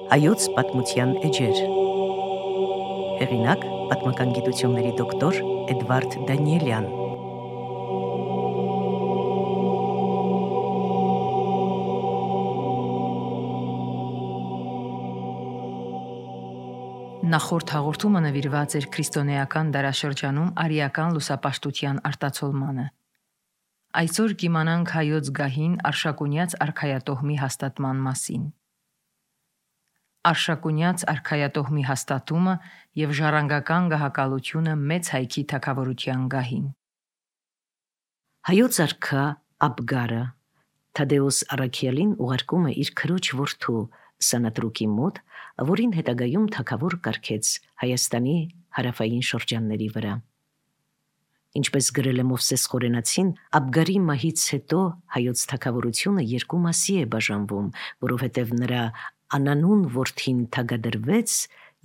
Հայոց պատմության էջեր։ Հեղինակ՝ պատմական գիտությունների դոկտոր Էդվարդ Դանիելյան։ Նախորդ հաղորդումը նվիրված էր քրիստոնեական դարաշրջանում արիական լուսապաշտության արտացոլմանը։ Այսօր կիմանանք հայոց գահին Արշակունյաց արքայատոհմի հաստատման մասին։ Արշակունյաց արքայատոհմի հաստատումը և ժառանգական գահակալությունը մեծ հայքի թագավորության գահին։ Հայոց արքա Աբգարը Թադեոս Առաքյալին ուղարկում է իր քրոջ որդու Սանատրուկի մոտ, որին հետագայում թագավոր կարգեց Հայաստանի հարավային շրջանների վրա։ Ինչպես գրել է Մովսես Խորենացին, Աբգարի մահից հետո հայոց թագավորությունը երկու մասի է բաժանվում, որովհետև նրա անանուն որդին թագադրվեց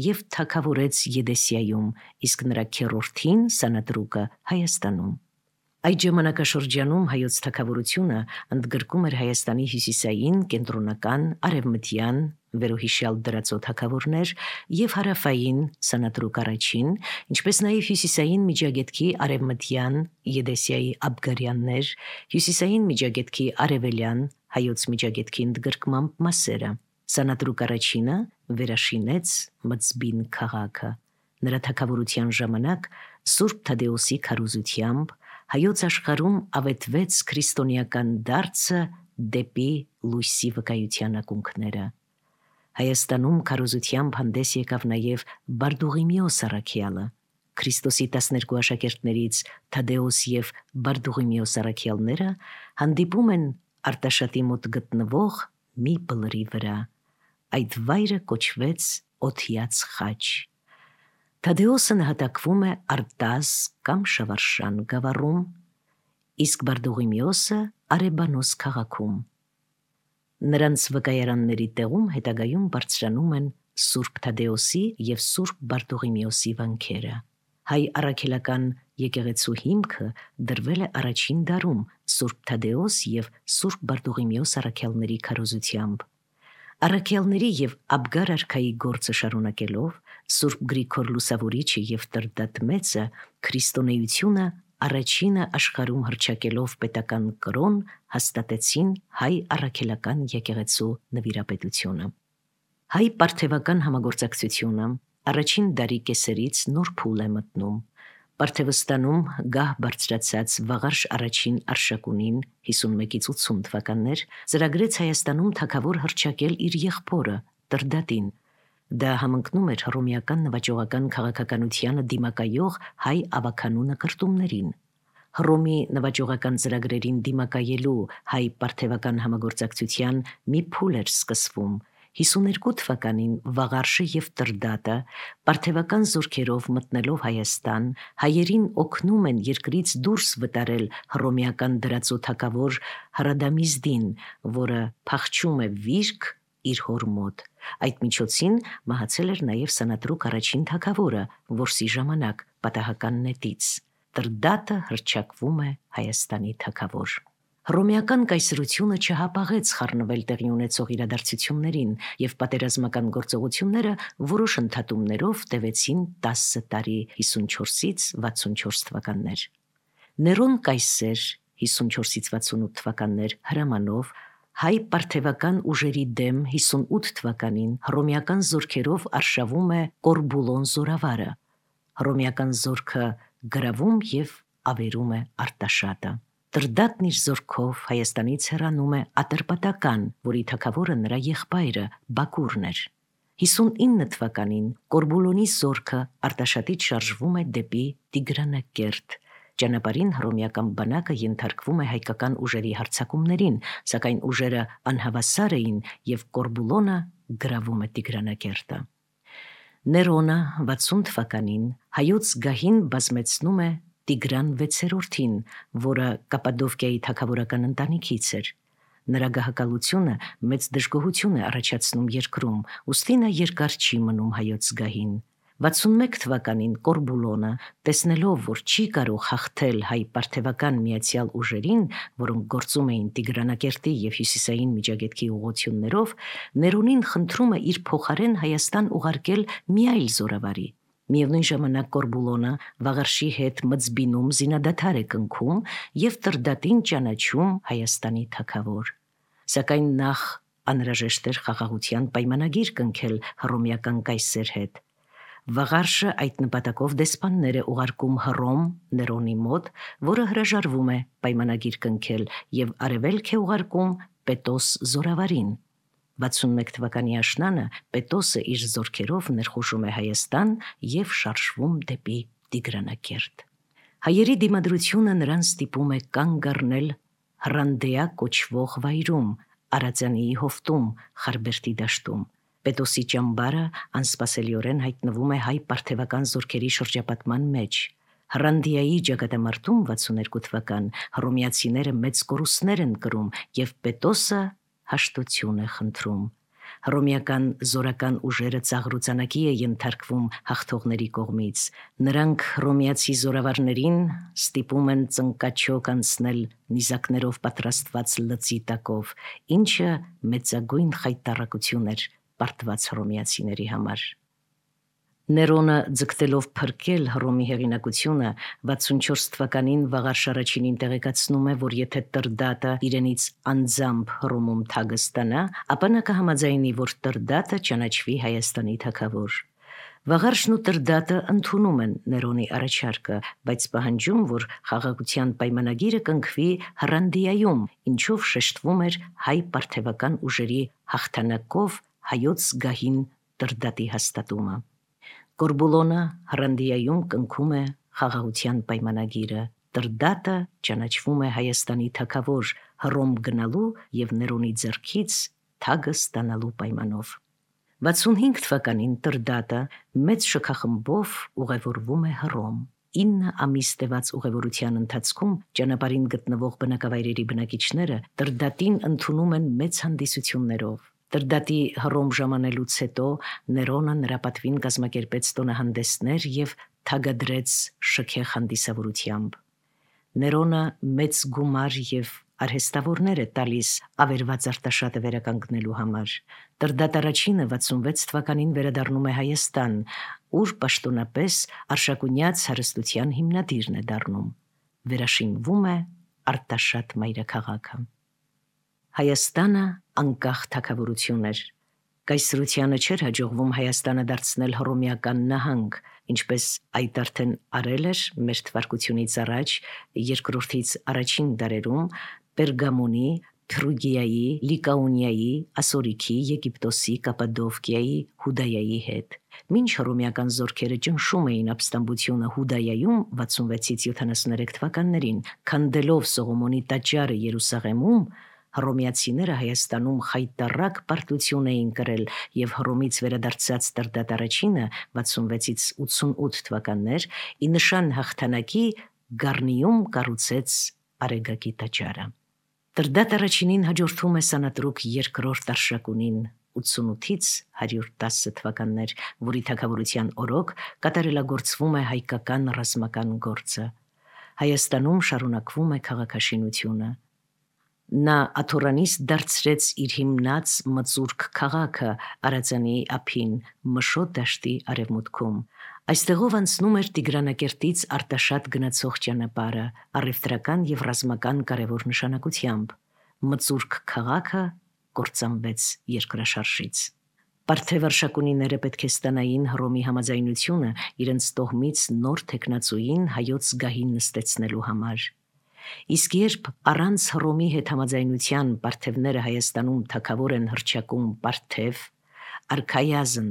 և թագավորեց Եդեսիայում, իսկ նրա քեռորդին Սանատրուկը Հայաստանում։ Այդ ժամանակաշրջանում հայոց թագավորությունը ընդգրկում էր Հայաստանի հյուսիսային, կենտրոնական, արևմտյան, վերոհիշյալ դրածո թագավորներ և հարավային Սանատրուկ առաջին, ինչպես նաև հյուսիսային Միջագետքի արևմտյան Եդեսիայի աբգարյաններ, հյուսիսային Միջագետքի արևելյան հայոց Միջագետքի ընդգրկմամբ մասերը։ Սանատրուկ առաջինը վերաշինեց Մծբին քաղաքը։ Նրա թագավորության ժամանակ Սուրբ Թադեոսի քարոզությամբ հայոց աշխարհում ավետվեց քրիստոնեական դարձը դեպի լույսի վկայության ակունքները։ Հայաստանում քարոզությամբ հանդես եկավ նաև Բարդուղիմեոս առաքյալը։ Քրիստոսի 12 աշակերտներից Թադեոս և Բարդուղիմեոս առաքյալները հանդիպում են Արտաշատի մոտ գտնվող մի բլրի վրա։ Այդ վայրը կոչվեց Օթյաց խաչ։ Թադեոսը նահատակվում է Արտազ կամ Շավարշան գավառում, իսկ Բարդուղիմեոսը Արեբանոս քաղաքում։ Նրանց վկայարանների տեղում հետագայում բարձրանում են Սուրբ Թադեոսի և Սուրբ Բարդուղիմեոսի վանքերը։ Հայ առաքելական եկեղեցու հիմքը դրվել է առաջին դարում Սուրբ Թադեոս և Սուրբ Բարդուղիմեոս առաքյալների քարոզությամբ։ Առաքյալների և Աբգար արքայի գործը շարունակելով Սուրբ Գրիգոր Լուսավորիչը և Տրդատ Մեծը քրիստոնեությունը առաջինը աշխարհում հռչակելով պետական կրոն հաստատեցին հայ առաքելական եկեղեցու նվիրապետությունը։ Հայ պարթևական համագործակցությունը առաջին դարի կեսերից նոր փուլ է մտնում։ Պարթևստանում գահ բարձրացած Վաղարշ առաջին Արշակունին 51-ից 80 թվականներ ծրագրեց Հայաստանում թագավոր հռչակել իր եղբորը Տրդատին։ Դա համընկնում էր հռոմեական նվաճողական քաղաքականությանը դիմակայող հայ ավագանու նկրտումներին։ Հռոմի նվաճողական ծրագրերին դիմակայելու հայ պարթևական համագործակցության մի փուլ էր սկսվում։ 52 թվականին Վաղարշը և Տրդատը պարթևական զորքերով մտնելով Հայաստան հայերին օգնում են երկրից դուրս վտարել հռոմեական դրածո թագավոր Հրադամիզդին, որը փախչում է վիրք իր հոր մոտ։ Այդ միջոցին մահացել էր նաև Սանատրուկ առաջին թագավորը որսի ժամանակ պատահական նետից։ Տրդատը հռչակվում է Հայաստանի թագավոր։ Հռոմեական կայսրությունը չհապաղեց խառնվել տեղի ունեցող իրադարձություններին և պատերազմական գործողությունները որոշ ընդհատումներով տևեցին 10 տարի 54-ից 64 թվականներ։ Ներոն կայսեր 54-ից 68 թվականներ հրամանով հայ պարթևական ուժերի դեմ 58 թվականին հռոմեական զորքերով արշավում է Կորբուլոն զորավարը։ Հռոմեական զորքը գրավում և ավերում է Արտաշատը։ Տրդատն իր զորքով Հայաստանից հեռանում է Ատրպատական, որի թագավորը նրա եղբայրը Բակուրն էր։ 59 թվականին Կորբուլոնի զորքը Արտաշատից շարժվում է դեպի Տիգրանակերտ։ Ճանապարհին հռոմեական բանակը ենթարկվում է հայկական ուժերի հարձակումներին, սակայն ուժերը անհավասար էին և Կորբուլոնը գրավում է Տիգրանակերտը։ Ներոնը 60 թվականին հայոց գահին բազմեցնում է Տիգրան 6-րդին, որը Կապադովկիայի թագավորական ընտանիքից էր։ Նրա գահակալությունը մեծ դժգոհություն է առաջացնում երկրում, ուստի նա երկար չի մնում հայոց գահին։ 61 թվականին Կորբուլոնը, տեսնելով, որ չի կարող հաղթել հայ պարթևական միացյալ ուժերին, որոնք գործում էին Տիգրանակերտի եւ Հյուսիսային Միջագետքի ուղղություններով, Ներոնին խնդրում է իր փոխարեն Հայաստան ուղարկել մի այլ զորավարի։ Միևնույն ժամանակ Կորբուլոնը Վաղարշի հետ մծբինում զինադադար է կնքում եւ Տրդատին ճանաչում Հայաստանի թագավոր։ Սակայն նախ անհրաժեշտ էր խաղաղության պայմանագիր կնքել հռոմեական կայսեր հետ։ Վաղարշը այդ նպատակով դեսպաններ է ուղարկում Հռոմ Ներոնի մոտ, որը հրաժարվում է պայմանագիր կնքել եւ արևելք է ուղարկում Պետոս զորավարին։ 61 թվականի աշնանը Պետոսը իր զորքերով ներխուժում է Հայաստան եւ շարժվում դեպի Տիգրանակերտ։ Հայերի դիմադրությունը նրան ստիպում է կանգ առնել Հռանդեա կոչվող վայրում, Արածանիի հովտում, Խարբերդի դաշտում։ Պետոսի ճամբարը անսպասելիորեն հայտնվում է հայ պարթևական զորքերի շրջապատման մեջ։ Հռանդիայի ճակատամարտում 62 թվական հռոմեացիները մեծ կորուստներ են կրում եւ Պետոսը հաշտություն է խնդրում։ Հռոմեական զորական ուժերը ծաղրուծանակի է ենթարկվում հաղթողների կողմից։ Նրանք հռոմեացի զորավարներին ստիպում են ծնկաչոք անցնել նիզակներով պատրաստված լծի տակով, ինչը մեծագույն խայտառակություն էր պարտված հռոմեացիների համար։ Ներոնը ձգտելով փրկել Հռոմի հեղինակությունը 64 թվականին Վաղարշ առաջինին տեղեկացնում է, որ եթե Տրդատը իրենից անձամբ Հռոմում թագը ստանա, ապա նա կհամաձայնի, որ Տրդատը ճանաչվի Հայաստանի թագավոր։ Վաղարշն ու Տրդատը ընդունում են Ներոնի առաջարկը, բայց պահանջում, որ խաղաղության պայմանագիրը կնքվի Հռանդիայում, ինչով շեշտվում էր հայ պարթևական ուժերի հաղթանակով հայոց գահին Տրդատի հաստատումը։ Կորբուլոնը Հռանդիայում կնքում է խաղաղության պայմանագիրը։ Տրդատը ճանաչվում է Հայաստանի թագավոր Հռոմ գնալու եւ Ներոնի ձեռքից թագը ստանալու պայմանով։ 65 թվականին Տրդատը մեծ շքախմբով ուղևորվում է Հռոմ։ 9 ամիս տևած ուղևորության ընթացքում ճանապարհին գտնվող բնակավայրերի բնակիչները Տրդատին ընդունում են մեծ հանդիսություններով։ Տրդատի Հռոմ ժամանելուց հետո Ներոնը նրա պատվին կազմակերպեց տոնահանդեսներ եւ թագադրեց շքեղ հանդիսավորությամբ։ Ներոնը մեծ գումար եւ արհեստավորներ է տալիս ավերված Արտաշատը վերականգնելու համար։ Տրդատ առաջինը 66 թվականին վերադառնում է Հայաստան, ուր պաշտոնապես Արշակունյաց հարստության հիմնադիրն է դառնում։ Վերաշինվում է Արտաշատ մայրաքաղաքը։ Հայաստանը անկախ թագավորություն էր։ Կայսրությանը չէր հաջողվում Հայաստանը դարձնել հռոմեական նահանգ, ինչպես այդ արդեն արել էր մեր թվարկությունից առաջ երկրորդից առաջին դարերում Պերգամոնի, Փրուգիայի, Լիկաոնիայի, Ասորիքի, Եգիպտոսի, Կապադովկիայի, Հուդայայի հետ։ Մինչ հռոմեական զորքերը ճնշում էին ապստամբությունը Հուդայայում 66-ից 73 թվականներին, քանդելով Սողոմոնի տաճարը Երուսաղեմում, հռոմեացիները Հայաստանում խայտառակ պարտություն էին կրել եւ Հռոմից վերադարձած Տրդատ առաջինը 66-ից 88 թվականներ ի նշան հաղթանակի Գառնիում կառուցեց Արեգակի տաճարը։ Տրդատ առաջինին հաջորդում է Սանատրուկ երկրորդ Արշակունին 88-ից 110 թվականներ, որի թագավորության օրոք կատարելագործվում է հայկական ռազմական գործը։ Հայաստանում շարունակվում է քաղաքաշինությունը։ Նա աթորանից դարձրեց իր հիմնած Մծուրք քաղաքը Արածանիի ափին Մշոտ դաշտի արևմուտքում։ Այստեղով անցնում էր Տիգրանակերտից Արտաշատ գնացող ճանապարհը առևտրական եւ ռազմական կարևոր նշանակությամբ։ Մծուրք քաղաքը կործանվեց երկրաշարժից։ Պարթև Արշակունիները պետք է ստանային Հռոմի համաձայնությունը իրենց տոհմից նոր թեկնածուին հայոց գահին նստեցնելու համար։ Իսկ երբ առանց Հռոմի հետ համաձայնության պարթևները Հայաստանում թագավոր են հռչակում պարթև, արքայազն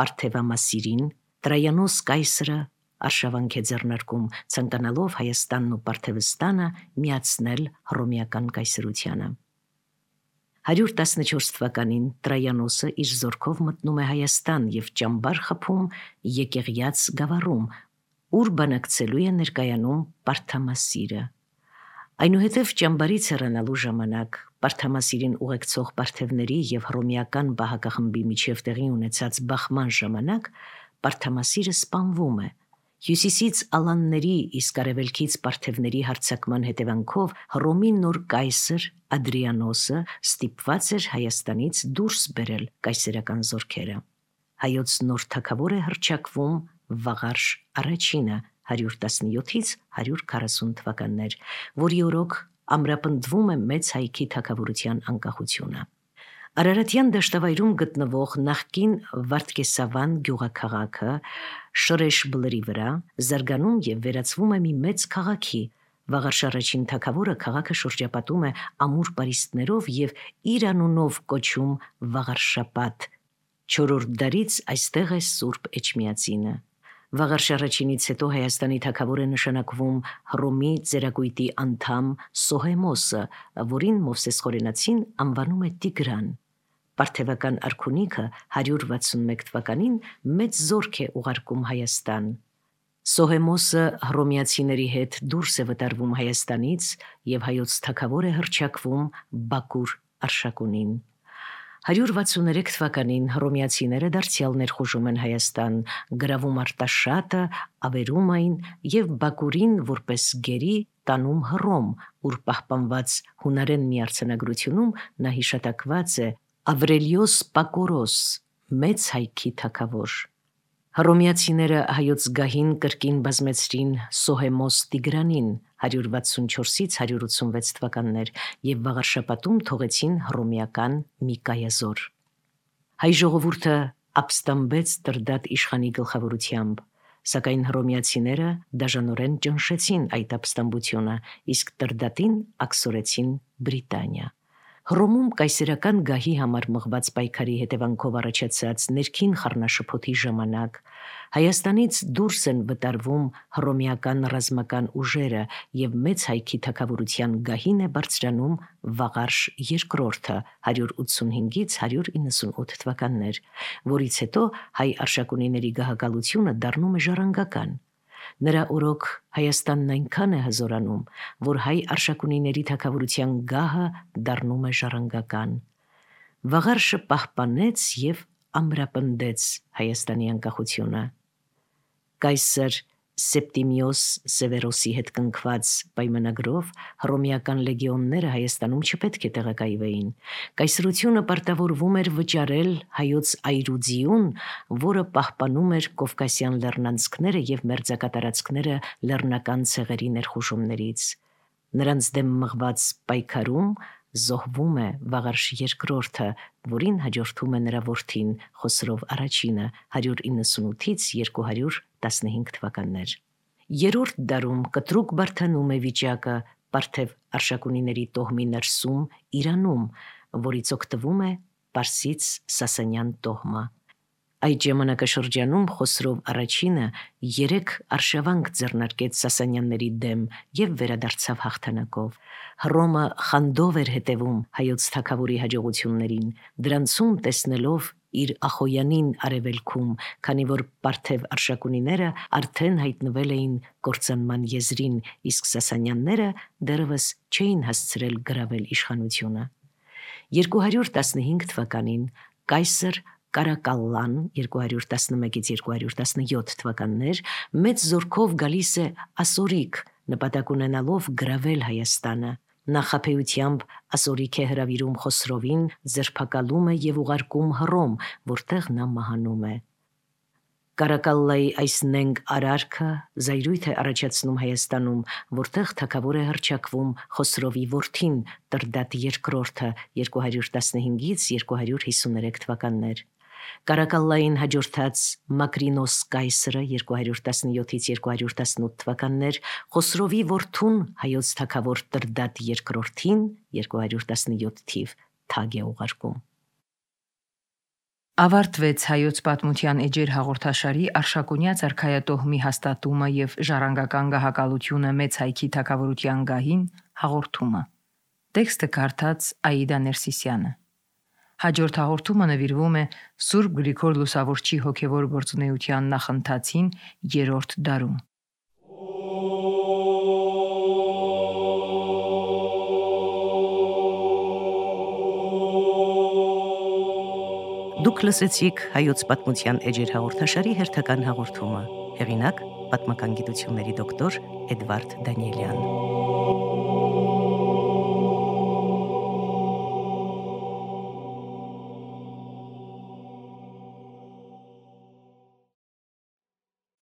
պարթևամասիրին, Տրայանոս կայսրը արշավանք է ձեռնարկում, ցանկանալով Հայաստանն ու Պարթևստանը միացնել հռոմեական կայսրությանը։ 114 թվականին Տրայանոսը իր զորքով մտնում է Հայաստան եւ ճամբար խփում Եկեղյաց գավառում, ուր բանակցելու է ներկայանում Պարթամասիրը։ Այնուհետև ճամբարից հեռանալու ժամանակ Պարթամասիրին ուղեկցող պարթևների եւ հռոմեական բահակախմբի միջև տեղի ունեցած բախման ժամանակ Պարթամասիրը սպանվում է։ Հյուսիսից ալանների, իսկ արևելքից պարթևների հարձակման հետևանքով Հռոմի նոր կայսր Ադրիանոսը ստիպված էր Հայաստանից դուրս բերել կայսերական զորքերը։ Հայոց նոր թագավոր է հռչակվում Վաղարշ առաջինը 117-ից 140 թվականներ, որի օրոք ամրապնդվում է մեծ հայքի թագավորության անկախությունը։ Արարատյան դաշտավայրում գտնվող նախկին Վարդգեսավան գյուղաքաղաքը Շրեշբլրի վրա զարգանում եւ վերածվում է մի մեծ քաղաքի։ Վաղարշ առաջին թագավորը քաղաքը շրջապատում է ամուր պարիսպներով եւ իր անունով կոչում Վաղարշապատ։ 4-րդ դարից այստեղ է Սուրբ Էջմիածինը։ Վաղարշ առաջինից հետո Հայաստանի թագավոր է նշանակվում Հռոմի ծերակույտի անդամ Սոհեմոսը, որին Մովսես Խորենացին անվանում է Տիգրան։ Պարթևական արքունիքը 161 թվականին մեծ զորք է ուղարկում Հայաստան։ Սոհեմոսը հռոմեացիների հետ դուրս է վտարվում Հայաստանից եւ հայոց թագավոր է հռչակվում Բաքուր Արշակունին։ 163 թվականին հռոմեացիները դարձյալ ներխուժում են Հայաստան, գրավում Արտաշատը, ավերում այն եւ Բաքուրին որպես գերի տանում Հռոմ, ուր պահպանված հունարեն մի արձանագրությունում նա հիշատակված է Ավրելիոս Պակորոս, մեծ հայքի թագավոր։ Հռոմեացիները հայոց գահին կրկին բազմեցրին Սոհեմոս Տիգրանին 164-ից 186 թվականներ եւ Վաղարշապատում թողեցին հռոմեական մի կայազոր։ Հայ ժողովուրդը ապստամբեց Տրդատ իշխանի գլխավորությամբ, սակայն հռոմեացիները դաժանորեն ճնշեցին այդ ապստամբությունը, իսկ Տրդատին աքսորեցին Բրիտանիա։ Հռոմում կայսերական գահի համար մղված պայքարի հետևանքով առաջացած ներքին խառնաշփոթի ժամանակ Հայաստանից դուրս են վտարվում հռոմեական ռազմական ուժերը եւ մեծ հայքի թագավորության գահին է բարձրանում Վաղարշ II 185-ից 198 թվականներ, որից հետո հայ արշակունիների գահակալությունը դառնում է ժառանգական։ Նրա օրոք Հայաստանն այնքան է հզորանում, որ հայ արշակունիների թագավորության գահը դառնում է ժառանգական։ Վաղարշը պահպանեց եւ ամրապնդեց Հայաստանի անկախությունը։ Կայսր Սեպտիմիոս Սևերոսի հետ կնքված պայմանագրով հռոմեական լեգիոնները Հայաստանում չպետք է տեղակայվեին։ Կայսրությունը պարտավորվում էր վճարել հայոց այրուձիուն, որը պահպանում էր Կովկասյան լեռնանցքները եւ մերձակատարածքները լեռնական ցեղերի ներխուժումներից։ Նրանց դեմ մղված պայքարում զոհվում է Վաղարշ II, որին հաջորդում է նրա որդին Խոսրով առաջինը 198-ից 215 թվականներ։ Երրորդ դարում կտրուկ բարդանում է վիճակը Պարթև արշակունիների տոհմի ներսում Իրանում, որից օգտվում է Պարսից Սասանյան տոհմը։ Այդ ժամանակաշրջանում Խոսրով առաջինը 3 արշավանք ձեռնարկեց Սասանյանների դեմ եւ վերադարձավ հաղթանակով։ Հռոմը խանդով էր հետևում հայոց թագավորի հաջողություններին, դրանցում տեսնելով իր Ախոյանին արևելքում, քանի որ Պարթև արշակունիները արդեն հայտնվել էին կործանման եզրին, իսկ Սասանյանները դեռևս չէին հասցրել գրավել իշխանությունը։ 215 թվականին կայսր Կարակալլան 211-ից 217 թվականներ մեծ զորքով գալիս է ասորիկ, նպատակ ունենալով գրավել Հայաստանը։ Նախապեյությամբ ասորիկ է հրավիրում Խոսրովին, ձերբակալում է եւ ուղարկում Հռոմ, որտեղ նա մահանում է։ Կարակալլայի այս նենգ արարքը զայրույթ է առաջացնում Հայաստանում, որտեղ թագավոր է հռչակվում Խոսրովի որդին Տրդատ II 215-ից 253 թվականներ։ Կարակալլային հաջորդած Մակրինոս կայսրը 217-ից 218 թվականներ, Խոսրովի որդուն հայոց թագավոր Տրդատ II-ին 217 թիվ թագ է ուղարկում։ Ավարտվեց հայոց պատմության էջեր հաղորդաշարի Արշակունյա արքայատոհմի հաստատումը եւ ժառանգական գահակալությունը մեծ հայքի թագավորության գահին հաղորդումը։ Տեքստը կարդաց Աիդա Ներսիսյանը։ Հաջորդ հաղորդումը նվիրվում է Սուրբ Գրիգոր Լուսավորչի հոգևոր գործունեության նախընթացին 3-րդ դարում։ Դուք լսեցիք հայոց պատմության էջեր հաղորդաշարի հերթական հաղորդումը։ Հեղինակ պատմական գիտությունների դոկտոր Էդվարդ Դանիելյան։